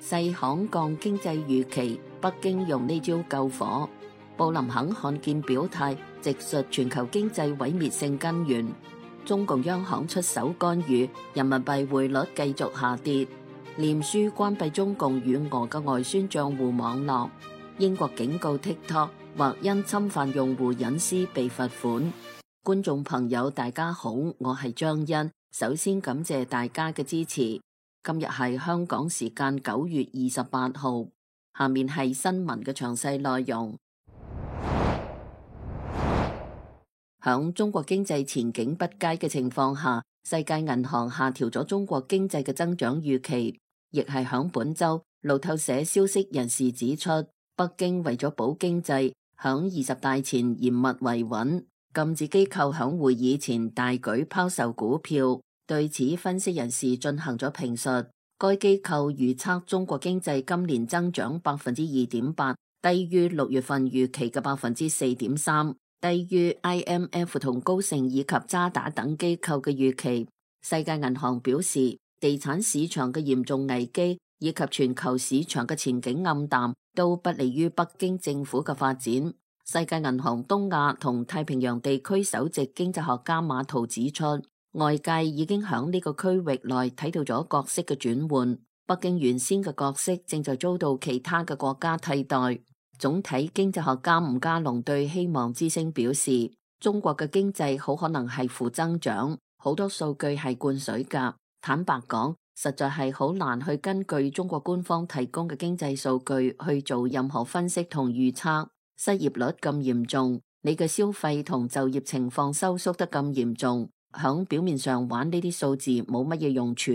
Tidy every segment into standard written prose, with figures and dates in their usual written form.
細行降經濟預期，北京用呢招救火。布林肯罕見表態，直述全球經濟毀滅性根源。中共央行出手干預，人民幣匯率繼續下跌。臉書關閉中共與俄嘅外宣賬戶網絡。英國警告 TikTok 或因侵犯用戶隱私被罰款。觀眾朋友大家好，我係張欣，首先感謝大家嘅支持。今日係香港時間9月28號，下面係新聞嘅詳細內容。響中國經濟前景不佳嘅情況下，世界銀行下調咗中國經濟嘅增長預期。亦係響本周，路透社消息人士指出，北京為咗保經濟，響20大前嚴密維穩，禁止機構響會議前大舉拋售股票。對此，分析人士進行咗評述。該機構預測中國經濟今年增長2.8%，低於6月份預期嘅4.3%，低於 IMF 同高盛以及渣打等機構嘅預期。世界銀行表示，地產市場嘅嚴重危機以及全球市場嘅前景暗淡，都不利於北京政府嘅發展。世界銀行東亞同太平洋地區首席經濟學家馬圖指出，外界已經響呢個區域內睇到咗角色嘅轉換，北京原先嘅角色正在遭到其他嘅國家替代。總體經濟學家吳家龍對希望之聲表示，中國嘅經濟好可能係負增長，好多數據係灌水㗎。坦白講，實在係好難去根據中國官方提供嘅經濟數據去做任何分析同預測。失業率咁嚴重，你嘅消費同就業情況收縮得咁嚴重，響表面上玩呢啲數字冇乜嘢用處。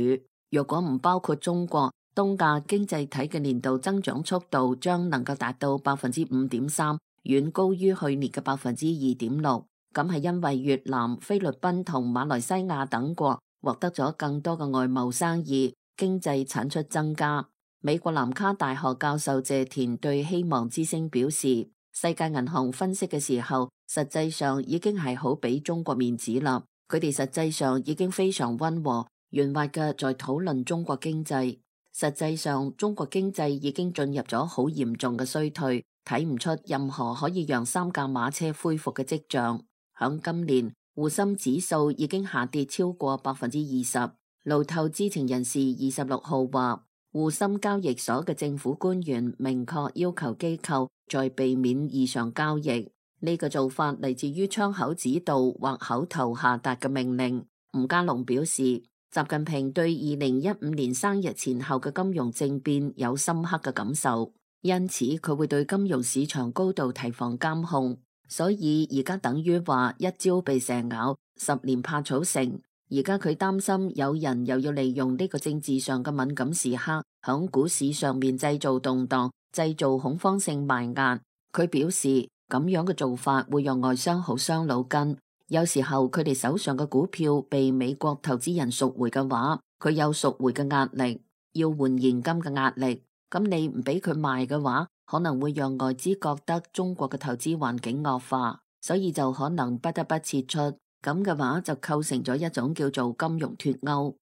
若果唔包括中國，東亞經濟體嘅年度增長速度將能夠達到5.3%，遠高於去年嘅2.6%。咁係因為越南、菲律賓同馬來西亞等國獲得咗更多嘅外貿生意，經濟產出增加。美國南卡大學教授謝田對希望之聲表示，世界銀行分析嘅時候，實際上已經係好俾中國面子啦。佢哋實際上已經非常溫和、圓滑嘅在討論中國經濟。實際上，中國經濟已經進入咗好嚴重嘅衰退，睇唔出任何可以讓三駕馬車恢復嘅跡象。響今年，滬深指數已經下跌超過20%。路透知情人士26號話，滬深交易所嘅政府官員明確要求機構在避免異常交易。呢個做法嚟自於窗口指導或口頭下達嘅命令。吳家龍表示，習近平對2015年生日前後嘅金融政變有深刻嘅感受，因此佢會對金融市場高度提防監控。所以而家等於話一朝被蛇咬，10年怕草繩。而家佢擔心有人又要利用呢個政治上嘅敏感時刻，響股市上面製造動盪，製造恐慌性賣壓。佢表示咁樣嘅做法會讓外商好傷腦筋。有時候佢哋手上嘅股票被美國投資人贖回嘅話，佢有贖回嘅壓力，要換現金嘅壓力。咁你唔俾佢賣嘅話，可能會讓外資覺得中國嘅投資環境惡化，所以就可能不得不撤出。咁嘅話就構成咗一種叫做金融脫鈎。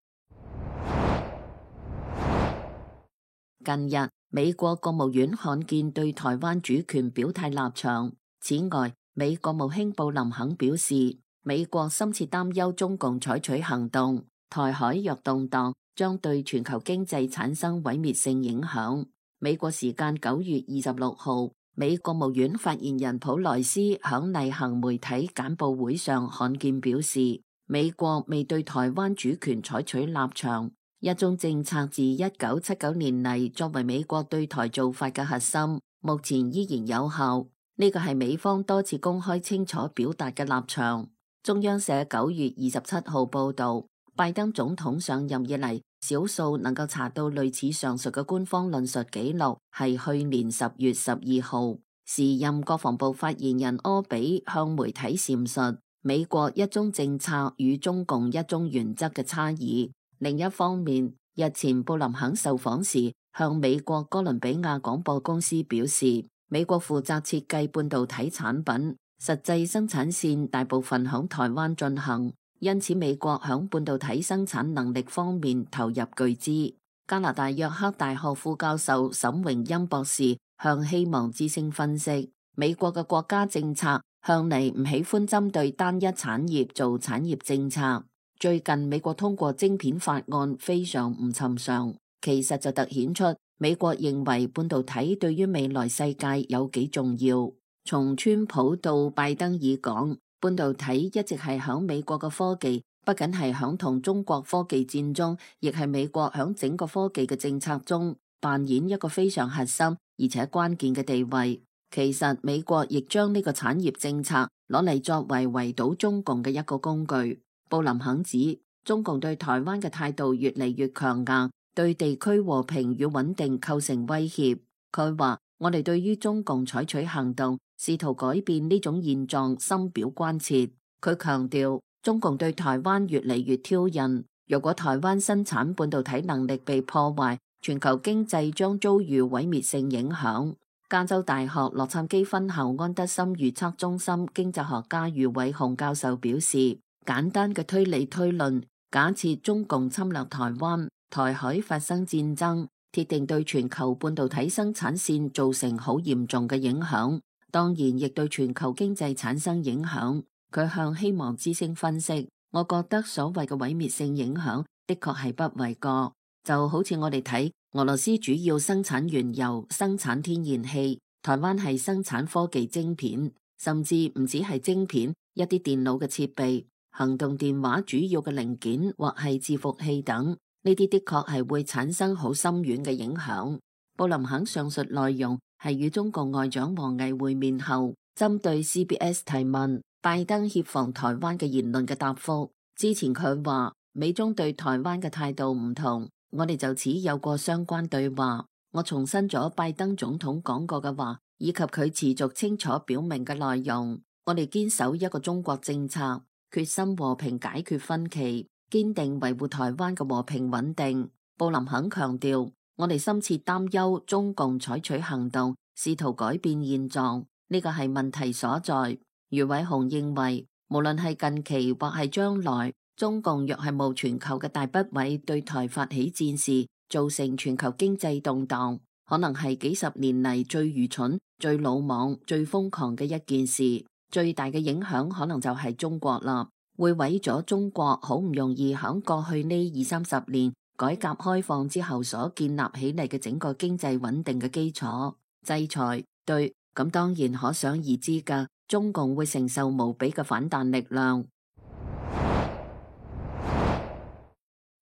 近日，美國國務院罕見對台灣主權表態立場。此外，美國務卿布林肯表示，美國深切擔憂中共採取行動，台海若動盪，將對全球經濟產生毀滅性影響。美國時間9月26號，美國務院發言人普萊斯響例行媒體簡報會上罕見表示，美國未對台灣主權採取立場，一中政策自1979年嚟作為美國對台做法嘅核心，目前依然有效。呢個係美方多次公開清楚表達嘅立場。中央社9月27號報道，拜登總統上任以嚟，少數能夠查到類似上述嘅官方論述記錄，係去年10月12號，時任國防部發言人柯比向媒體闡述美國一中政策與中共一中原則嘅差異。另一方面，日前布林肯受訪時，向美國哥倫比亞廣播公司表示，美國負責設計半導體產品，實際生產線大部分響台灣進行，因此美國響半導體生產能力方面投入巨資。加拿大約克大學副教授沈榮欽博士向希望之聲分析，美國嘅國家政策向嚟唔喜歡針對單一產業做產業政策。最近美國通過晶片法案非常唔尋常，其實就凸顯出美國認為半導體對於未來世界有幾重要。從川普到拜登爾講，半導體一直係響美國嘅科技，不僅係響同中國科技戰中，亦係美國響整個科技嘅政策中扮演一個非常核心而且關鍵嘅地位。其實美國亦將呢個產業政策攞嚟作為圍堵中共嘅一個工具。布林肯指，中共對台灣嘅態度越嚟越強硬，對地區和平與穩定構成威脅。佢話：我哋對於中共採取行動，試圖改變呢種現狀，深表關切。佢強調，中共對台灣越嚟越挑釁，若果台灣生產半導體能力被破壞，全球經濟將遭遇毀滅性影響。加州大學洛杉磯分校安德森預測中心經濟學家余偉雄教授表示，簡單嘅推理推論，假設中共侵略台灣，台海發生戰爭，鐵定對全球半導體生產線造成好嚴重嘅影響，當然亦對全球經濟產生影響。佢向希望之聲分析，我覺得所謂嘅毀滅性影響的確係不為過，就好似我哋睇俄羅斯主要生產原油、生產天然氣，台灣係生產科技晶片，甚至唔止係晶片，一啲電腦嘅設備、行動電話主要嘅零件或係伺服器等，呢啲的確係會產生好深遠嘅影響。布林肯上述內容係與中國外長王毅會面後，針對 CBS 提問拜登協防台灣嘅言論嘅答覆。之前佢話美中對台灣嘅態度唔同，我哋就此有過相關對話。我重申咗拜登總統講過嘅話，以及佢持續清楚表明嘅內容。我哋堅守一個中國政策，決心和平解決分歧，堅定維護台灣嘅和平穩定。布林肯強調，我哋深切擔憂中共採取行動，試圖改變現狀，呢個係問題所在。余偉雄認為，無論係近期或係將來，中共若係冒全球嘅大不韙對台發起戰事，造成全球經濟動盪，可能係幾十年嚟最愚蠢、最魯莽、最瘋狂嘅一件事。最大嘅影響可能就係中國啦，會毀咗中國好唔容易響過去呢20-30年改革開放之後所建立起嚟嘅整個經濟穩定嘅基礎。制裁對，咁當然可想而知噶。中共會承受無比嘅反彈力量。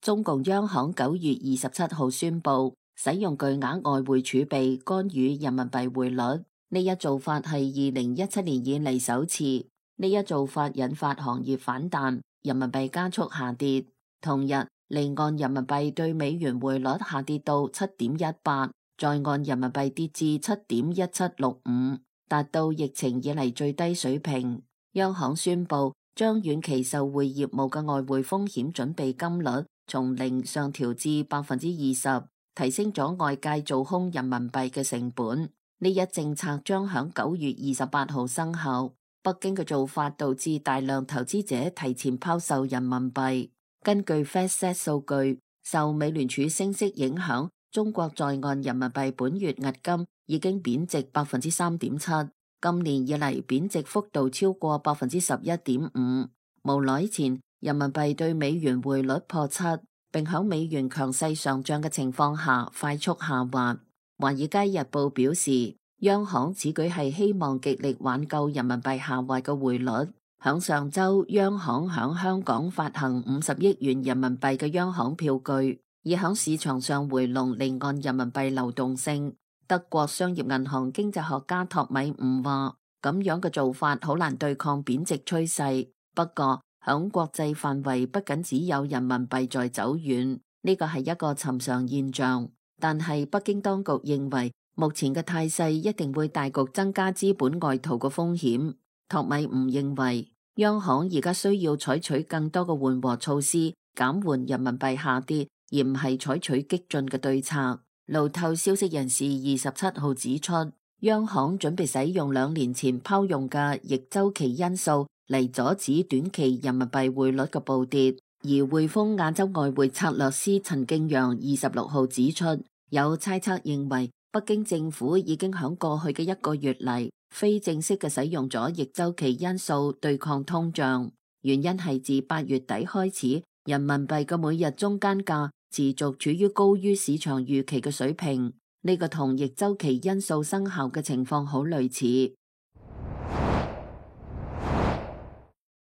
中共央行9月27號宣布使用巨額外匯儲備干預人民幣匯率，呢一做法係2017年以嚟首次。呢一做法引發行業反彈，人民幣加速下跌。同日，離岸人民幣對美元匯率下跌到7.18，在岸人民幣跌至7.1765。達到疫情以嚟最低水平。央行宣布將遠期受匯業務嘅外匯風險準備金率從0上調至20%，提升咗外界做空人民幣嘅成本。呢一政策將響9月28號生效。北京嘅做法導致大量投資者提前拋售人民幣。根據 FactSet 數據，受美聯儲升息影響，中國在岸人民幣本月押金已經貶值3.7%，今年以嚟貶值幅度超過11.5%。無耐前，人民幣對美元匯率破7，並響美元強勢上漲嘅情況下快速下滑。華爾街日報表示，央行此舉係希望極力挽救人民幣下滑嘅匯率。響上周，央行響香港發行50億元人民幣嘅央行票據，以響市場上回籠離岸人民幣流動性。德國商業銀行經濟學家托米伍話，咁樣嘅做法好難對抗貶值趨勢。不過響國際範圍，不僅只有人民幣在走遠，呢個係一個尋常現象。但係北京當局認為，目前嘅態勢一定會大局增加資本外逃嘅風險。托米伍認為，央行而家需要採取更多嘅緩和措施，減緩人民幣下跌，而唔係採取激進嘅對策。路透消息人士27號指出，央行準備使用2年前拋用嘅逆周期因素嚟阻止短期人民幣匯率嘅暴跌。而匯豐亞洲外匯策略師陳敬陽26號指出，有猜測認為北京政府已經響過去嘅1個月嚟非正式嘅使用咗逆周期因素對抗通脹，原因係自8月底開始，人民幣嘅每日中間價持續處於高於市場預期嘅水平，呢個同逆周期因素生效嘅情況好類似。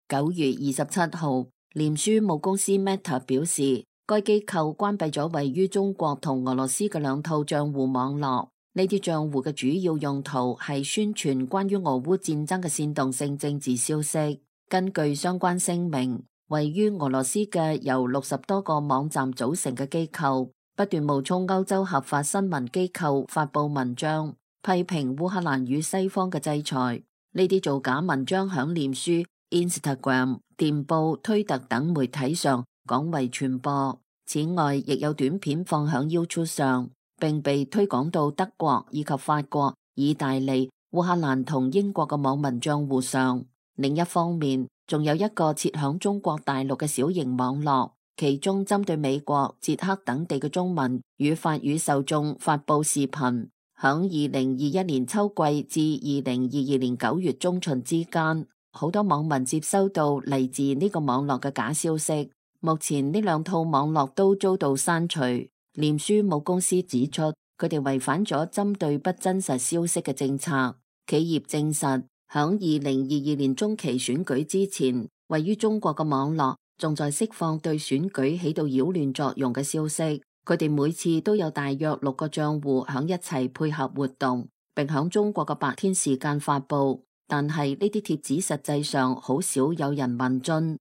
9月27號，臉書母公司 Meta 表示，該機構關閉咗位於中國同俄羅斯嘅2套賬戶網絡，呢啲賬戶嘅主要用途係宣傳關於俄烏戰爭嘅煽動性政治消息。根據相關聲明，位於俄羅斯嘅由60多個網站組成嘅機構，不斷冒充歐洲合法新聞機構發佈文章，批評烏克蘭與西方嘅制裁。呢啲造假文章響臉書、Instagram、電報、推特等媒體上廣為傳播。此外，亦有短片放響 YouTube 上，並被推廣到德國以及法國、意大利、烏克蘭同英國嘅網民賬戶上。另一方面，仲有一個設響中國大陸嘅小型網絡，其中針對美國、捷克等地嘅中文與法語受眾發佈視頻。響2021年秋季至2022年9月中旬之間，好多網民接收到嚟自呢個網絡嘅假消息。目前呢2套網絡都遭到刪除。臉書母公司指出，佢哋違反咗針對不真實消息嘅政策。企業證實，響2022年中期選舉之前，位於中國嘅網絡仲在釋放對選舉起到擾亂作用嘅消息。佢哋每次都有大約6個賬戶響一齊配合活動，並響中國嘅白天時間發佈。但係呢啲貼紙實際上好少有人問津。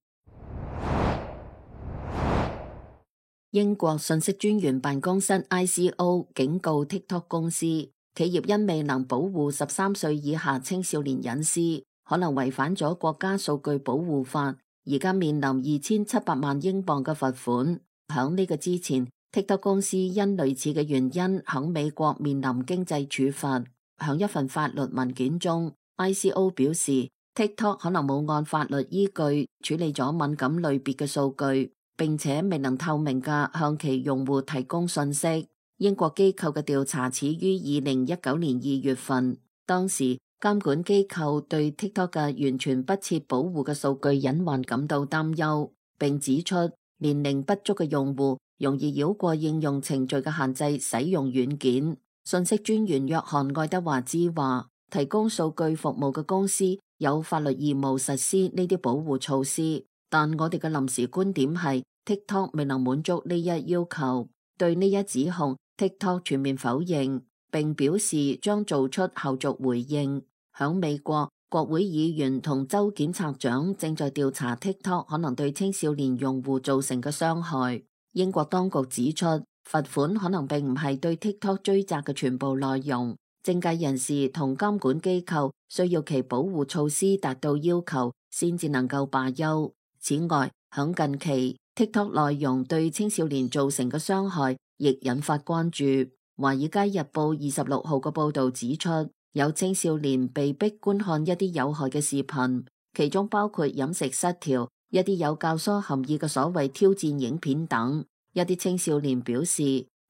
英國信息專員辦公室 ICO 警告 TikTok 公司，企業因未能保護13歲以下青少年隱私，可能違反咗國家數據保護法，而家面臨2700萬英鎊嘅罰款。響呢個之前， TikTok 公司因類似嘅原因響美國面臨經濟處罰。響一份法律文件中， ICO 表示 TikTok 可能冇按法律依據處理咗敏感類別嘅數據，並且未能透明嘅向其用戶提供信息。英國機構嘅調查始於2019年2月份，當時監管機構對 TikTok 嘅完全不設保護嘅數據隱患感到擔憂，並指出年齡不足嘅用戶容易繞過應用程序嘅限制使用軟件。信息專員約翰愛德華茲話，提供數據服務嘅公司有法律義務實施呢啲保護措施，但我哋嘅臨時觀點係 TikTok 未能滿足呢一要求。對呢一指控， TikTok 全面否認，並表示將做出後續回應。響美國，國會議員同州檢察長正在調查 TikTok 可能對青少年用戶造成嘅傷害。英國當局指出，罰款可能並唔係對 TikTok 追責嘅全部內容。政界人士同監管機構需要其保護措施達到要求，先至能夠罷休。此外，響近期 TikTok 內容對青少年造成嘅傷害亦引發關注。華爾街日報26號嘅報道指出，有青少年被逼觀看一啲有害嘅視頻，其中包括飲食失調、一啲有教唆含義嘅所謂挑戰影片等。一啲青少年表示，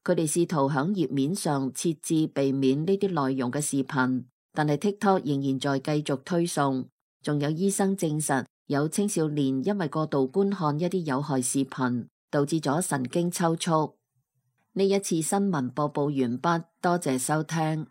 佢哋試圖響頁面上設置避免呢啲內容嘅視頻，但係 TikTok 仍然在繼續推送。仲有醫生證實，有青少年因為過度觀看一啲有害視頻，導致咗神經抽搐。呢一次新聞播報完畢，多謝收聽。